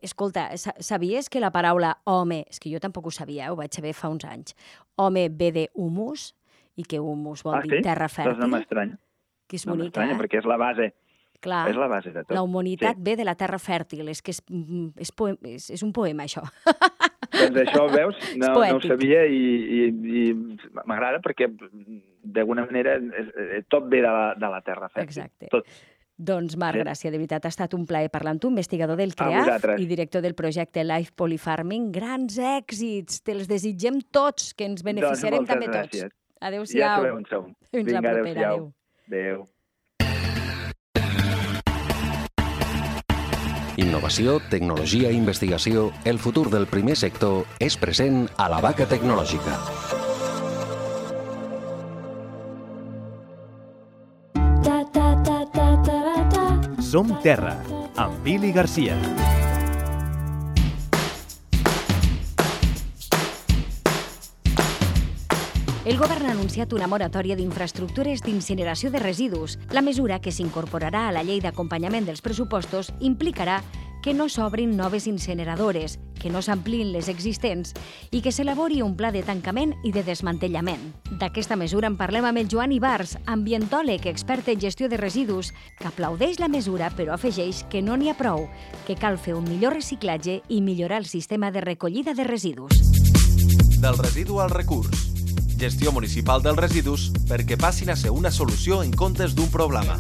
Escolta, sabies que la paraula home, és que jo tampoc ho sabia, ho vaig saber fa uns anys, home ve de humus i que humus vol dir terra fèrtil. Doncs no m'estranya. Que és No bonica, m'estranya, perquè és la base. Clar, És la base de tot. la humanitat ve de la terra fèrtil. És que és un poema, això. Doncs això, veus, no ho poètic. sabia i m'agrada perquè d'alguna manera tot ve de la terra fèrtil. Exacte. Tot. Doncs, Marc, gràcies, de veritat, ha estat un plaer parlar amb tu, investigador del A CREAF vosaltres. i director del projecte Life Polyfarming. Grans èxits! Te'ls desitgem tots, que ens beneficiarem Doncs també moltes tots. gràcies. Adéu-siau. Ja sabeu on som. Fins la Vinga, propera. adéu-siau. Adéu. Innovació, tecnologia i investigació, el futur del primer sector és present a la Vaca Tecnològica. Som Terra, amb Pili Garcia. El govern ha anunciat una moratòria d'infraestructures d'incineració de residus. La mesura, que s'incorporarà a la llei d'acompanyament dels pressupostos, implicarà que no s'obrin noves incineradores, que no s'ampliïn les existents i que s'elabori un pla de tancament i de desmantellament. D'aquesta mesura en parlem amb el Joan Ibars, ambientòleg expert en gestió de residus, que aplaudeix la mesura però afegeix que no n'hi ha prou, que cal fer un millor reciclatge i millorar el sistema de recollida de residus. Del residu al recurs. Gestió municipal dels residus perquè passin a ser una solució en comptes d'un problema.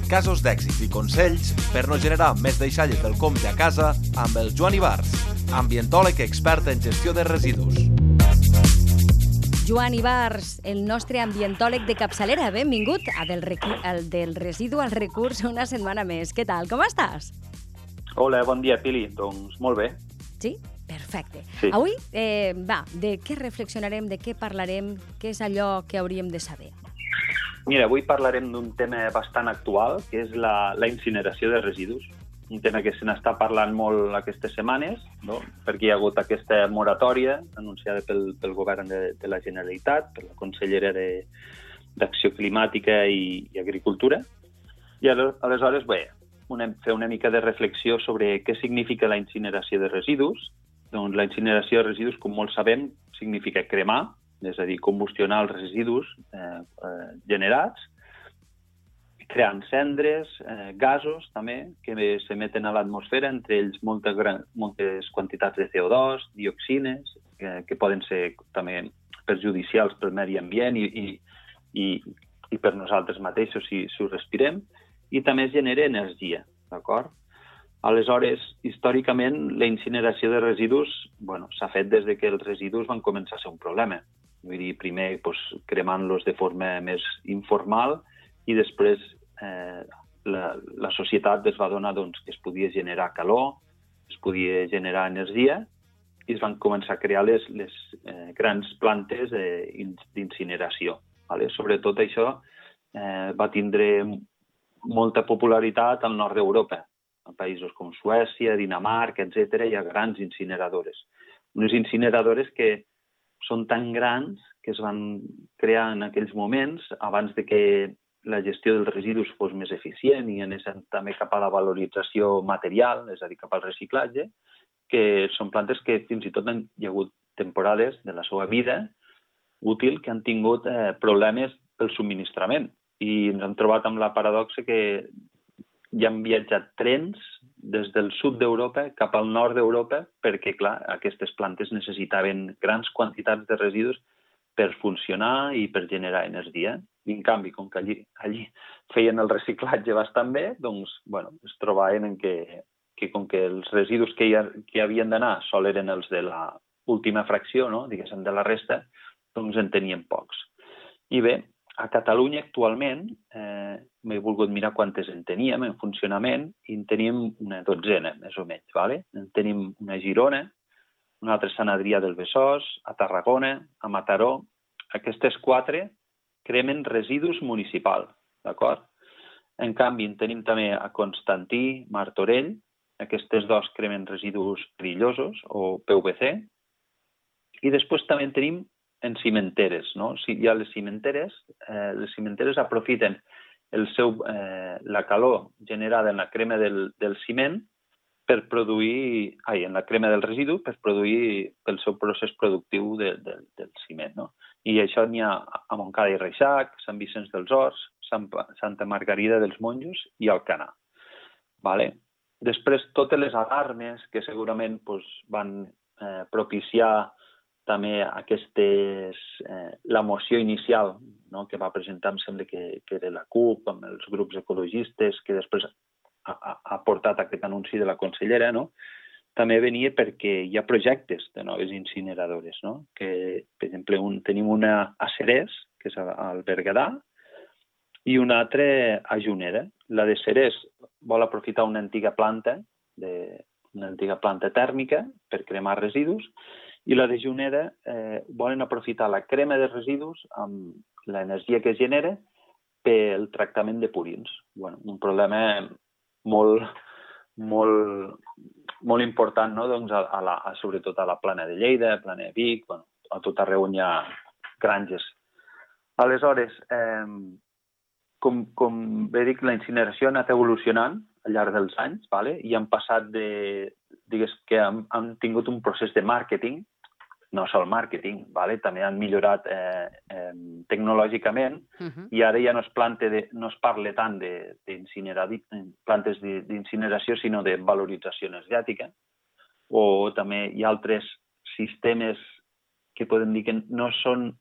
Casos d'èxit i consells per no generar més deixalles del compte a casa amb el Joan Ibars, ambientòleg expert en gestió de residus. Joan Ibars, el nostre ambientòleg de capçalera. Benvingut a del residu al recurs una setmana més. Què tal? Com estàs? Hola, bon dia, Pili. Doncs molt bé. Sí? Perfecte. Sí. Avui, de què reflexionarem, de què parlarem, què és allò que hauríem de saber? Mira, avui parlarem d'un tema bastant actual, que és la incineració de residus. Un tema que se n'està parlant molt aquestes setmanes, no? Perquè hi ha hagut aquesta moratòria anunciada pel govern de la Generalitat, per la consellera d'Acció Climàtica i Agricultura. I aleshores, bé, fer una mica de reflexió sobre què significa la incineració de residus. Doncs la incineració de residus, com molts sabem, significa cremar, és a dir, combustionar els residus generats, creant cendres, gasos també, que s'emeten a l'atmosfera, entre ells moltes quantitats de CO2, dioxines, que poden ser també perjudicials pel medi ambient i per nosaltres mateixos si ho respirem, i també es genera energia, d'acord? Aleshores, històricament, la incineració de residus s'ha fet des que els residus van començar a ser un problema. Vull dir, primer cremant-los de forma més informal i després la societat es va donar que es podia generar calor, es podia generar energia i es van començar a crear les grans plantes d'incineració. Sobretot això va tindre molta popularitat al nord d'Europa. En països com Suècia, Dinamarca, etc., hi ha grans incineradores. Unes incineradores que són tan grans que es van crear en aquells moments, abans de que la gestió dels residus fos més eficient i anés també cap a la valorització material, és a dir, cap al reciclatge, que són plantes que fins i tot hi ha hagut temporades de la seva vida útil que han tingut problemes pel subministrament. I ens hem trobat amb la paradoxa que hi han viatjat trens des del sud d'Europa cap al nord d'Europa perquè, clar, aquestes plantes necessitaven grans quantitats de residus per funcionar i per generar energia. I, en canvi, com que allí feien el reciclatge bastant bé, doncs, es trobaven que com que els residus que hi havien d'anar sol eren els de l'última fracció, no? Diguéssim, de la resta, doncs en tenien pocs. I bé, a Catalunya actualment m'he volgut mirar quantes en teníem en funcionament i en tenim una dotzena, més o menys. En tenim una a Girona, una altra a Sant Adrià del Besòs, a Tarragona, a Mataró. Aquestes 4 cremen residus municipals, d'acord? En canvi, en tenim també a Constantí, Martorell. Aquestes 2 cremen residus perillosos o PVC. I després també en tenim en cimenteres, no? Hi ha les cimenteres aprofiten la calor generada en la crema del ciment per produir, en la crema del residu, per produir pel seu procés productiu del ciment, no? I això n'hi ha a Montcada i Reixac, Sant Vicenç dels Horts, Santa Margarida dels Monjos i Alcanar. Vale? Després, totes les alarmes que segurament van propiciar també la moció inicial, no?, que va presentar, em sembla que era la CUP, amb els grups ecologistes, que després ha portat aquest anunci de la consellera, no?, també venia perquè hi ha projectes de noves incineradores, no?, que, per exemple, tenim una a Cerès, que és al Berguedà, i una altra a Juneda. La de Cerès vol aprofitar una antiga planta tèrmica per cremar residus, i la de Juneda volen aprofitar la crema de residus amb l'energia que es genera pel tractament de purins. Bueno, un problema molt important, no?, doncs, sobretot a la Plana de Lleida, a Plana de Vic, a tot arreu on hi ha granges. Aleshores, com bé dic, la incineració ha anat evolucionant al llarg dels anys, i han passat digues que han tingut un procés de màrqueting, no sol màrqueting, també han millorat tecnològicament, i ara ja no es parla tant de plantes d'incineració, sinó de valorització energètica, o també hi ha altres sistemes que podem dir que no són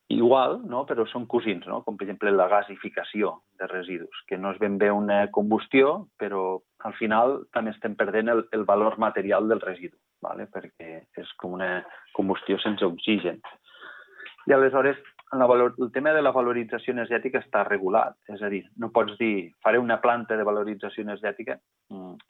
igual, no?, però són cosins, no?, com per exemple la gasificació de residus, que no és ben bé una combustió, però al final també estem perdent el valor material del residu, perquè és com una combustió sense oxigen. I aleshores el tema de la valorització energètica està regulat, és a dir, no pots dir faré una planta de valorització energètica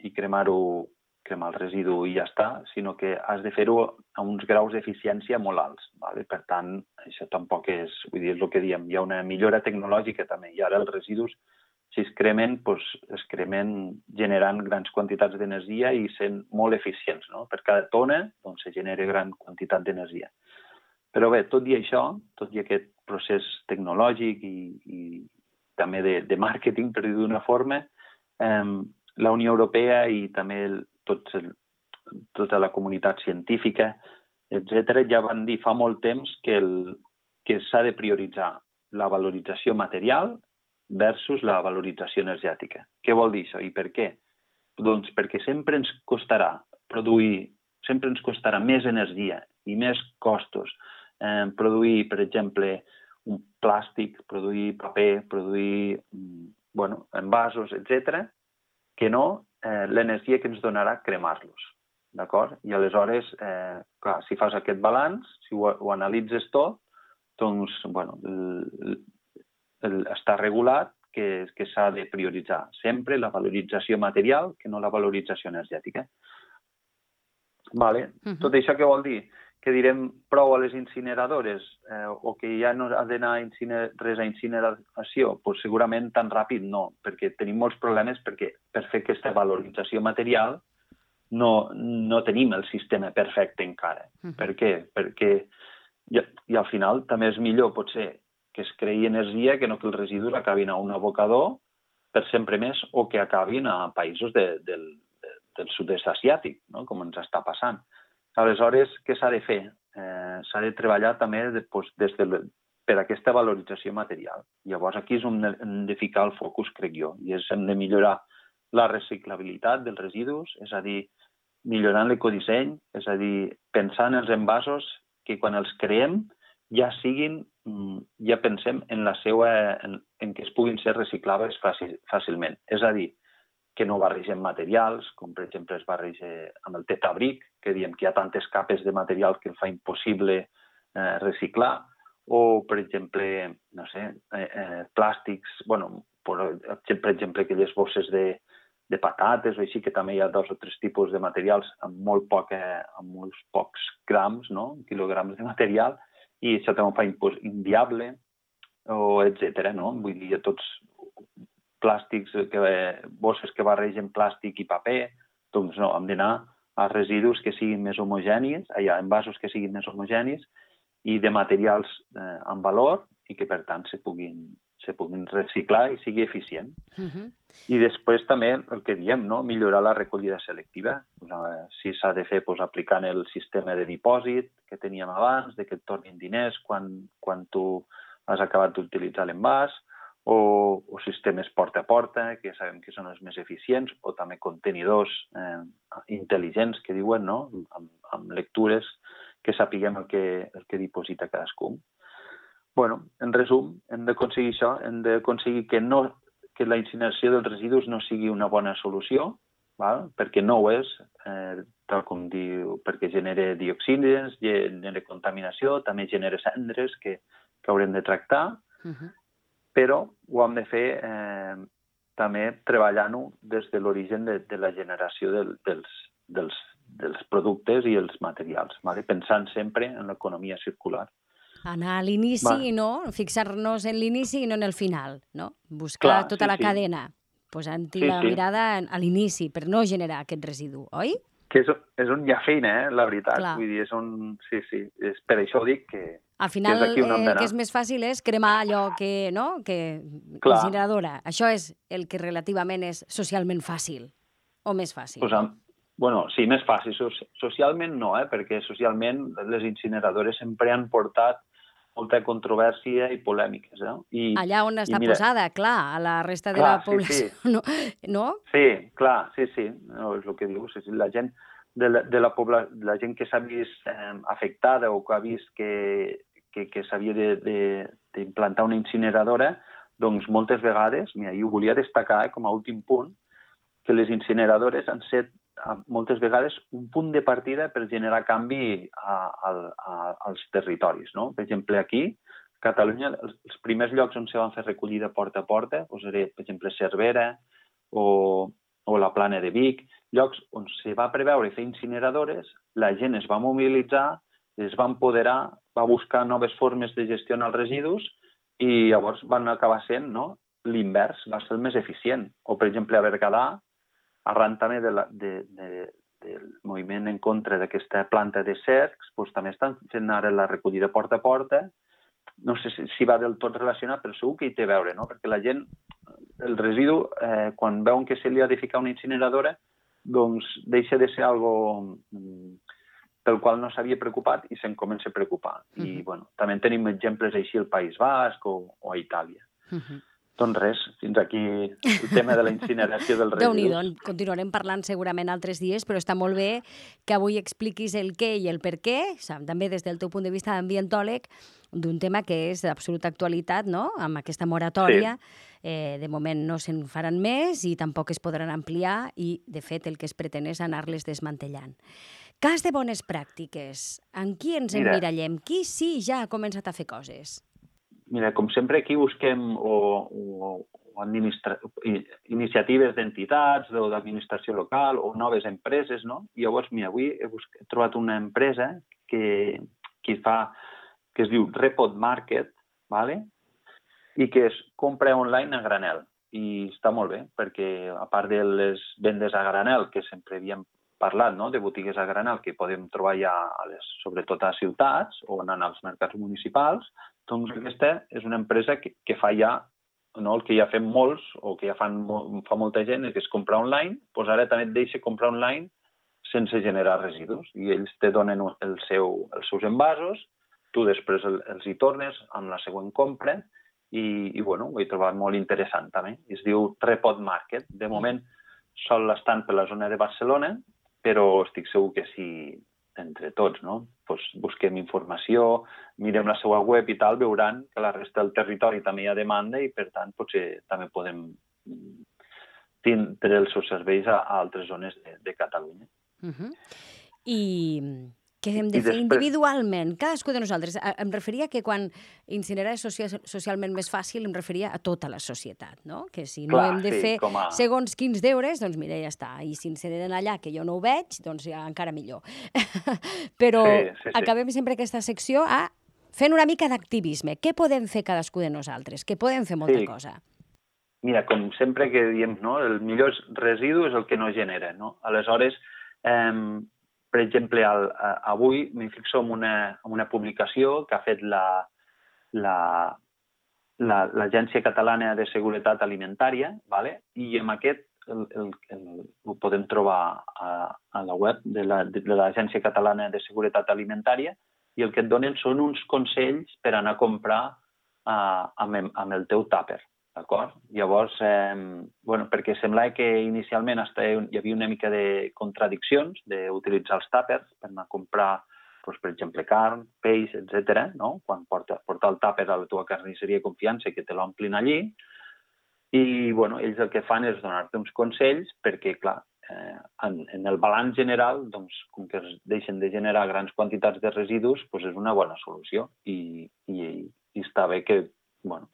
i cremar el residu i ja està, sinó que has de fer-ho a uns graus d'eficiència molt alts. Per tant, això tampoc és el que diem, hi ha una millora tecnològica també, i ara els residus, si es cremen, es cremen generant grans quantitats d'energia i sent molt eficients. Per cada tona se genera gran quantitat d'energia. Però bé, tot i això, tot i aquest procés tecnològic i també de màrqueting, per dir d'una forma, la Unió Europea i també tota la comunitat científica, etc., ja van dir fa molt temps que s'ha de prioritzar la valorització material versus la valorització energètica. Què vol dir això i per què? Doncs perquè sempre ens costarà més energia i més costos produir, per exemple, un plàstic, produir paper, produir envasos, etc., que no l'energia que ens donarà cremar-los. D'acord? I aleshores, clar, si fas aquest balanç, si ho analitzes tot, doncs, està regulat que s'ha de prioritzar sempre la valorització material que no la valorització energètica. Tot això què vol dir? Que direm prou a les incineradores o que ja no ha d'anar res a incineració? Doncs segurament tan ràpid no, perquè tenim molts problemes perquè per fer aquesta valorització material no tenim el sistema perfecte encara. Per què? Perquè i al final també és millor potser que es creï energia que no que els residus acabin a un abocador per sempre més o que acabin a països del sud-est asiàtic, com ens està passant. Aleshores, què s'ha de fer? S'ha de treballar també per aquesta valorització material. Llavors, aquí és on hem de ficar el focus, crec jo, i hem de millorar la reciclabilitat dels residus, és a dir, millorant l'ecodisseny, és a dir, pensar en els envasos que quan els creem ja pensem en que es puguin ser reciclables fàcilment. És a dir, que no barregem materials, com per exemple es barreja amb el tetabric, que diem que hi ha tantes capes de material que el fa impossible reciclar, o per exemple, no sé, plàstics, per exemple, aquelles bosses de patates o així, que també hi ha 2 o 3 tipus de materials amb molts pocs grams, quilograms de material, i això també ho fa inviable, etc. Vull dir, tots plàstics, bosses que barregen plàstic i paper, doncs no, hem d'anar a residus que siguin més homogenis, a envasos que siguin més homogenis i de materials amb valor i que, per tant, se puguin se puguin reciclar i sigui eficient. I després també el que diem, no? Millorar la recollida selectiva. Si s'ha de fer aplicant el sistema de dipòsit que teníem abans, que et tornin diners quan tu has acabat d'utilitzar l'envàs, o sistemes porta a porta, que sabem que són els més eficients, o també contenidors intel·ligents, que diuen, no? Amb lectures que sapiguem el que diposita cadascun. Bueno, en resum, hem d'aconseguir això, hem d'aconseguir que la incineració dels residus no sigui una bona solució, perquè no ho és, tal com diu, perquè genera dioxines, genera contaminació, també genera cendres que haurem de tractar, però ho hem de fer també treballant-ho des de l'origen de la generació dels productes i els materials, pensant sempre en l'economia circular. Anar a l'inici, no? Fixar-nos en l'inici i no en el final, no? Buscar tota la cadena, posant-hi la mirada a l'inici per no generar aquest residu, oi? Que és on hi ha feina, la veritat. Vull dir, és on... Sí, és per això dic que... Al final, el que és més fàcil és cremar allò que incineradora. Això és el que relativament és socialment fàcil, o més fàcil. Bueno, sí, més fàcil. Socialment no, perquè socialment les incineradores sempre han portat molta controvèrsia i polèmiques. Allà on està posada, clar, a la resta de la població, no? Sí, clar, sí. No, és el que dius. La gent la gent que s'ha vist afectada o que ha vist que s'havia d'implantar una incineradora, doncs moltes vegades, i ho volia destacar com a últim punt, que les incineradores han set moltes vegades un punt de partida per generar canvi als territoris. Per exemple, aquí, a Catalunya, els primers llocs on se van fer recollida porta a porta, per exemple, Cervera o la Plana de Vic, llocs on se va preveure fer incineradores, la gent es va mobilitzar, es va empoderar, va buscar noves formes de gestionar els residus i llavors van acabar sent l'invers, va ser el més eficient. O, per exemple, a Berguedà, arran també del moviment en contra d'aquesta planta de cercs, també estan fent ara la recollida porta a porta. No sé si va del tot relacionat, però segur que hi té a veure, perquè la gent, el residu, quan veuen que se li ha de ficar una incineradora, doncs deixa de ser algo pel qual no s'havia preocupat i se'n comença a preocupar. I també tenim exemples així al País Basc o a Itàlia. Doncs res, fins aquí el tema de la incineració dels residus. Déu-n'hi-do, continuarem parlant segurament altres dies, però està molt bé que avui expliquis el què i el per què, també des del teu punt de vista d'ambientòleg, d'un tema que és d'absoluta actualitat, no?, amb aquesta moratòria. De moment no se'n faran més i tampoc es podran ampliar i, de fet, el que es pretén és anar-les desmantellant. Cas de bones pràctiques. En qui ens emmirallem? Qui sí ja ha començat a fer coses? Mira, com sempre aquí busquem iniciatives d'entitats o d'administració local o noves empreses, no? I llavors, mira, avui he trobat una empresa que es diu Repod Market, i que és compra online a granel. I està molt bé, perquè a part de les vendes a granel, que sempre havíem parlat, de botigues a granel que podem trobar ja, sobretot a ciutats o anant als mercats municipals, doncs aquesta és una empresa que fa ja, el que ja fem molts o que ja fa molta gent, que és comprar online, doncs ara també et deixa comprar online sense generar residus. I ells te donen els seus envasos, tu després els hi tornes amb la següent compra i ho he trobat molt interessant també. Es diu Repod Market. De moment sol estan per la zona de Barcelona, però estic segur que si entre tots busquem informació, mirem la seva web i tal, veuran que la resta del territori també hi ha demanda i, per tant, potser també podem tindre els seus serveis a altres zones de Catalunya. I què hem de fer individualment, cadascú de nosaltres? Em referia que quan incinerar és socialment més fàcil, em referia a tota la societat, no? Que si no hem de fer segons quins deures, doncs mira, ja està. I si incineren allà, que jo no ho veig, doncs ja encara millor. Però acabem sempre aquesta secció fent una mica d'activisme. Què podem fer cadascú de nosaltres? Que podem fer molta cosa. Mira, com sempre que diem, el millor residu és el que no genera, no? Aleshores, per exemple, avui m'hi fixo en una publicació que ha fet l'Agència Catalana de Seguretat Alimentària, vale? I amb aquest ho podem trobar a la web de l'Agència Catalana de Seguretat Alimentària, i el que et donen són uns consells per anar a comprar amb el teu tàper, d'acord? Llavors, perquè semblava que inicialment hi havia una mica de contradiccions d'utilitzar els tàpers per anar a comprar, per exemple, carn, peix, etc. Quan portar el tàper a la teva carnisseria de confiança i que te l'omplin allí. I ells el que fan és donar-te uns consells perquè, clar, en el balanç general, com que es deixen de generar grans quantitats de residus, és una bona solució. I està bé que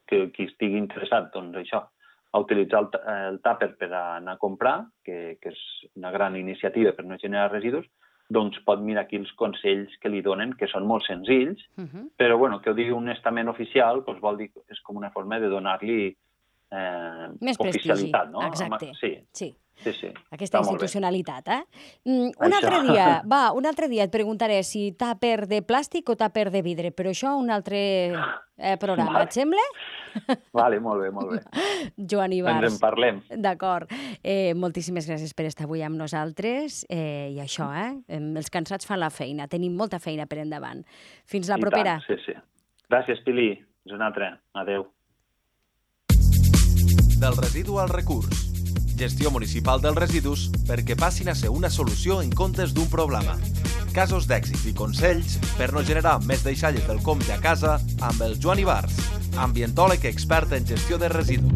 qui estigui interessat a utilitzar el tàper per anar a comprar, que és una gran iniciativa per no generar residus, pot mirar aquí els consells que li donen, que són molt senzills, però que ho digui un estament oficial vol dir que és com una forma de donar-li més oficialitat, no? Exacte. Sí. Aquesta institucionalitat, Un altre dia et preguntaré si tàper de plàstic o tàper de vidre, però això un altre programa, et sembla? Vale, molt bé. Joan Ibars. Ens en parlem. D'acord. Moltíssimes gràcies per estar avui amb nosaltres. I això, els cansats fan la feina. Tenim molta feina per endavant. Fins la propera. Sí. Gràcies, Pili. Fins una altra. Adéu. Del residu al recurs. Gestió municipal dels residus perquè passin a ser una solució en comptes d'un problema. Casos d'èxit i consells per no generar més deixalles del compte a casa amb el Joan Ibars, ambientòleg expert en gestió de residus.